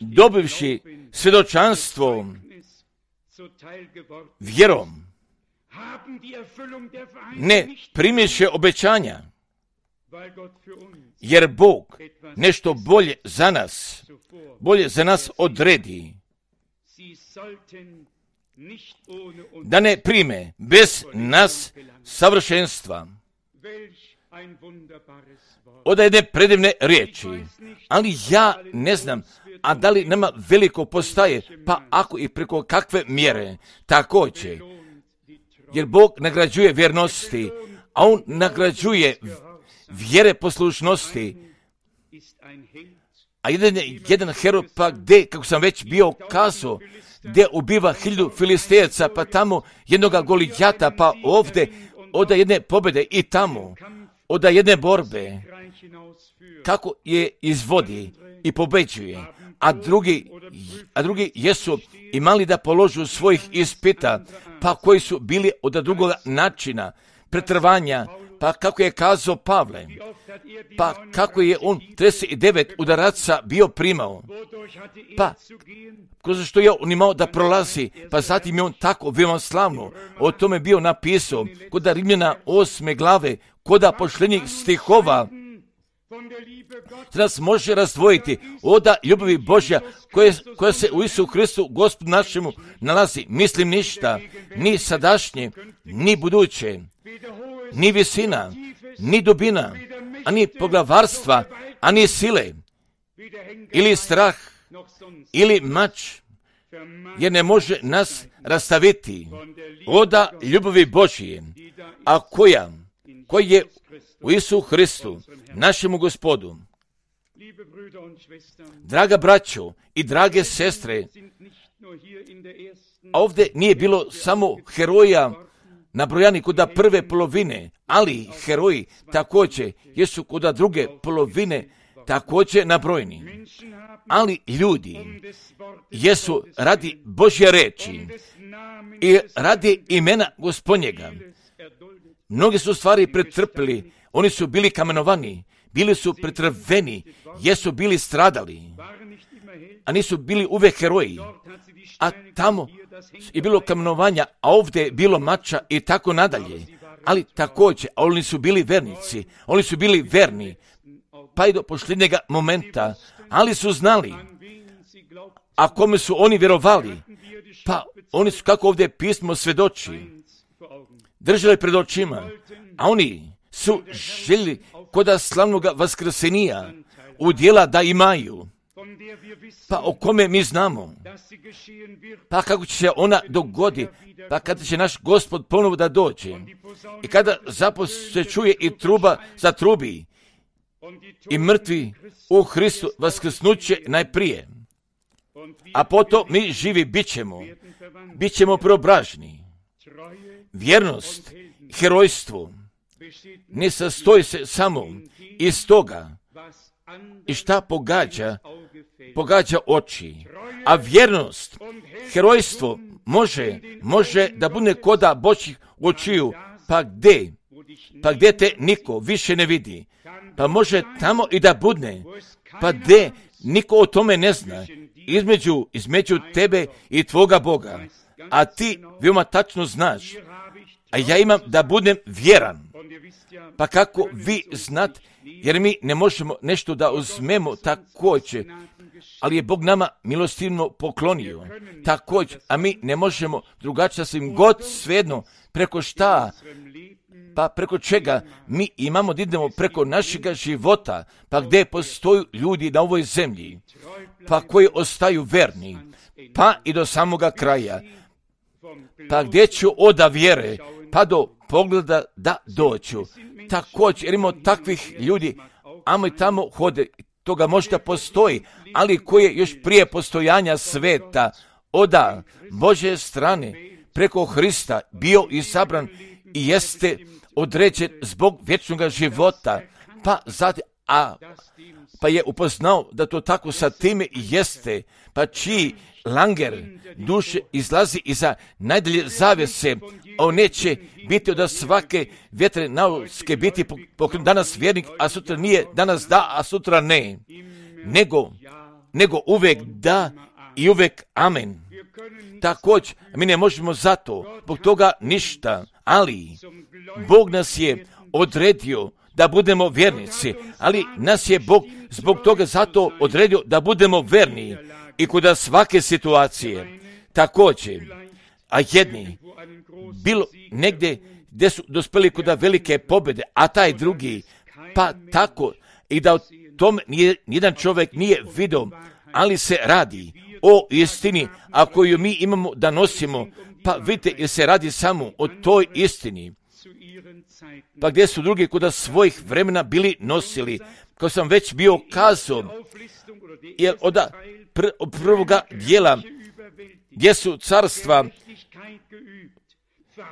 dobivši svjedočanstvo vjerom, ne primješe obećanja, jer Bog nešto bolje za nas, bolje za nas odredi, da ne prime bez nas savršenstva. Od jedne predivne riječi, ali ja ne znam, a da li nama veliko postaje, pa ako i preko kakve mjere, također, jer Bog nagrađuje vjernosti, a On nagrađuje vjere poslušnosti, a jedan, jedan heroj pa gdje, kako sam već bio kazao, gdje ubiva hiljadu filistejaca, pa tamo jednoga Golijata, pa ovdje oda jedne pobjede i tamo, oda jedne borbe, kako je izvodi i pobeđuje, a drugi, a drugi jesu imali da položu svojih ispita, pa koji su bili od drugoga načina, pretrvanja, pa kako je kazao Pavle, pa kako je on trideset devet udaraca bio primao, pa kroz što je on imao da prolazi, pa zatim je on tako veoma slavno o tome bio napisao, kod Rimljana osme glave, kod pošljenjih stihova, se nas može razdvojiti od ljubavi Božja koja, koja se u Isu Hristu Gospodu našemu nalazi. Mislim ništa, ni sadašnje, ni buduće, ni visina, ni dubina, ani poglavarstva, ani sile, ili strah, ili mač, jer ne može nas rastaviti od ljubavi Božje, a koja, koja je u Isu Hristu, našemu Gospodu. Draga braćo i drage sestre, ovdje nije bilo samo heroja nabrojani kod prve polovine, ali heroji također jesu kod druge polovine također nabrojeni. Ali ljudi jesu radi Božje reči i radi imena Gospodnjega. Mnogi su stvari pretrpili, oni su bili kamenovani, bili su pretrveni, jesu bili stradali, a nisu bili uvek heroji. A tamo je bilo kamenovanja, a ovdje je bilo mača i tako nadalje. Ali također, a oni su bili vernici, oni su bili verni, pa i do posljednjega momenta, ali su znali, a kome su oni vjerovali, pa oni su, kako ovdje pismo svedoči, držali pred očima, a oni su željeli koda slavnoga vaskrsenija udjela da imaju, pa o kome mi znamo, pa kako će se ona dogodi, pa kada će naš Gospod ponovo da dođe i kada zaposlije se čuje i truba za trubi i mrtvi u Hristu vaskrsnuće najprije, a potom mi živi bit ćemo, bit ćemo preobraženi. Vjernost, herojstvo ne sastoji se samo iz toga i šta pogađa, pogađa oči, a vjernost, herojstvo može, može da bude koda Božjih očiju, pa gdje, pa gdje te niko više ne vidi, pa može tamo i da budne, pa gdje niko o tome ne zna, između, između tebe i tvoga Boga, a ti veoma tačno znaš, a ja imam da budem vjeran. Pa kako vi znate, jer mi ne možemo nešto da uzmemo također, ali je Bog nama milostivno poklonio također, a mi ne možemo drugačije svim god svejedno preko šta, pa preko čega mi imamo da idemo preko našega života, pa gdje postoju ljudi na ovoj zemlji, pa koji ostaju verni, pa i do samoga kraja, pa gdje ću oda vjere, pa do pogleda da doću. Također, jer imamo takvih ljudi, amo i tamo hode, toga možda postoji, ali koji je još prije postojanja sveta, oda Božje strane, preko Hrista, bio izabran i jeste određen zbog vječnog života, pa zatim, a pa je upoznao da to tako sa time jeste, pa čiji langer duše izlazi iza najdalje zavese, on neće biti od svake vjetre nauske biti pokrenut danas vjernik, a sutra nije, danas da, a sutra ne, nego, nego uvek da i uvek amen. Također, mi ne možemo zato, zbog toga ništa, ali Bog nas je odredio da budemo vjernici, ali nas je Bog zbog toga zato odredio da budemo verni i kod svake situacije. Također, a jedni bilo negdje gdje su dospeli kod velike pobjede, a taj drugi, pa tako i da o tome nijedan čovjek nije vidio, ali se radi o istini, a koju mi imamo da nosimo, pa vidite, jer se radi samo o toj istini. Pa gdje su drugi kod svojih vremena bili nosili, kao sam već bio kazao, jer od pr- prvoga dijela gdje su carstva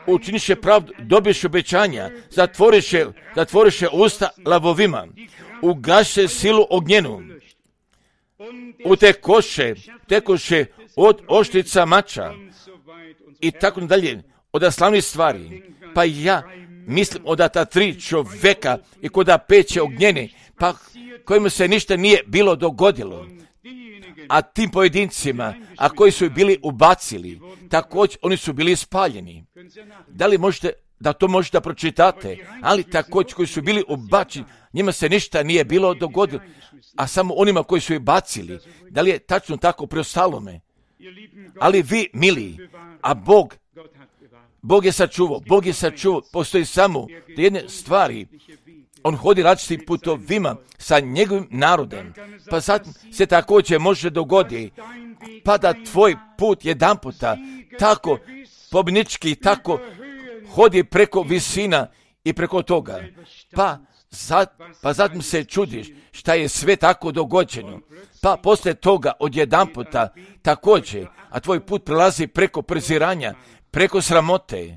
učiniše pravdu, dobiše obećanja, zatvoriše, zatvoriše usta lavovima, ugaše silu ognjenu, utekoše, tekoše od oštrica mača i tako dalje, od slavnih stvari. Pa ja mislim od ta tri čovjeka i kod peće ognjene, pa kojima se ništa nije bilo dogodilo. A tim pojedincima, a koji su bili ubacili, također oni su bili spaljeni. Da li možete, da to možete pročitate, ali također koji su bili ubačeni, njima se ništa nije bilo dogodilo, a samo onima koji su ih bacili. Da li je tačno tako preostalome? Ali vi, mili, a Bog, Bog je sačuvao, Bog je sačuvao, postoji samo da jedne stvari, on hodi različitim putovima sa njegovim narodom, pa zatim se također može dogoditi, pa da tvoj put jedan puta tako pobjednički, tako hodi preko visina i preko toga, pa, zat, pa zatim se čudiš šta je sve tako dogođeno, pa poslije toga od jedan puta također, a tvoj put prelazi preko preziranja, preko sramote,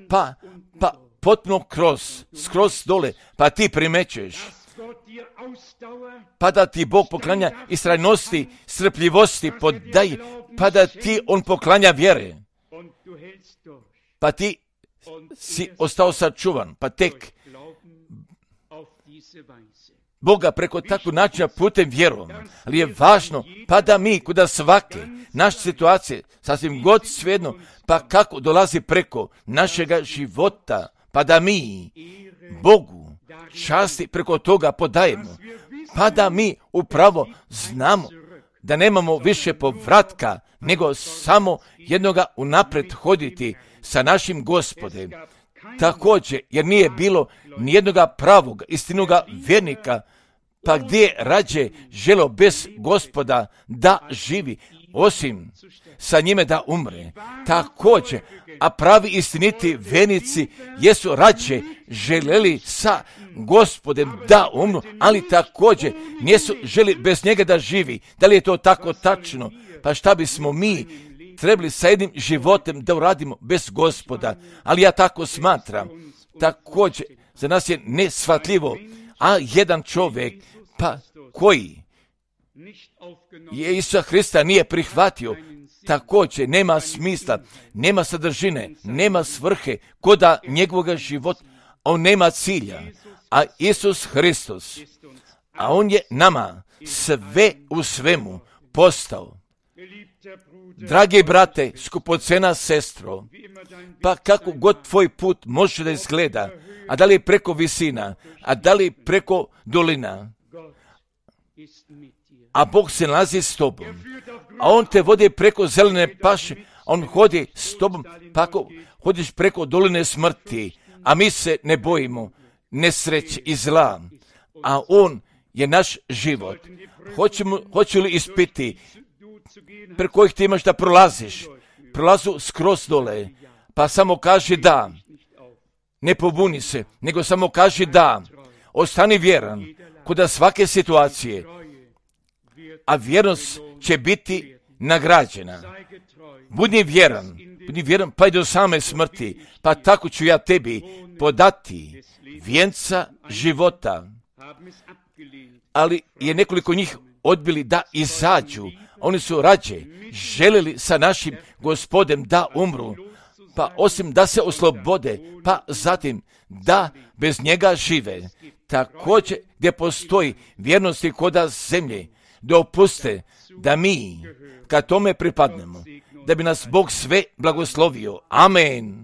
pa, pa potpuno kroz, skroz dole, pa ti primećeš, pa da ti Bog poklanja istrajnosti, strpljivosti, podaje, pa da ti on poklanja vjere, pa ti si ostao sačuvan, pa tek Boga preko takvog načina putem vjerom, ali je važno, pa da mi kuda svake naše situacije, sasvim god svejedno, pa kako dolazi preko našega života, pa da mi Bogu časti preko toga podajemo, pa da mi upravo znamo da nemamo više povratka, nego samo jednoga unapred hoditi sa našim Gospodem. Također, jer nije bilo nijednoga pravog, istinoga vjernika, pa gdje rađe želo bez Gospoda da živi, osim sa njime da umre. Također, a pravi istiniti vjernici jesu rađe željeli sa Gospodem da umru, ali također nisu želi bez njega da živi. Da li je to tako tačno? Pa šta bismo mi trebali sa jednim životem da uradimo bez Gospoda? Ali ja tako smatram. Također, za nas je nesvatljivo, a jedan čovjek, pa koji je Isusa Hrista nije prihvatio, također nema smisla, nema sadržine, nema svrhe koda njegovog života, on nema cilja, a Isus Hristos, a on je nama sve u svemu postao. Dragi brate, skupocena sestro, pa kako god tvoj put može da izgleda, a da li preko visina, a da li preko dolina, a Bog se nalazi s tobom, a On te vodi preko zelene paše, On hodi s tobom, pa ako hodiš preko doline smrti, a mi se ne bojimo nesreće i zla, a On je naš život. Hoćemo, hoću li ispiti pre kojih ti imaš da prolaziš, prolazu skroz dole, pa samo kaži da, ne pobuni se, nego samo kaži da, ostani vjeran kod svake situacije, a vjernost će biti nagrađena. Budi vjeran, budi vjeran pa i do same smrti, pa tako ću ja tebi podati vijenca života. Ali je nekoliko njih odbili da izađu. Oni su rađe željeli sa našim Gospodem da umru, pa osim da se oslobode, pa zatim da bez njega žive. Također gdje postoji vjernosti koda zemlje, dopuste da mi kad tome pripadnemo, da bi nas Bog sve blagoslovio. Amen.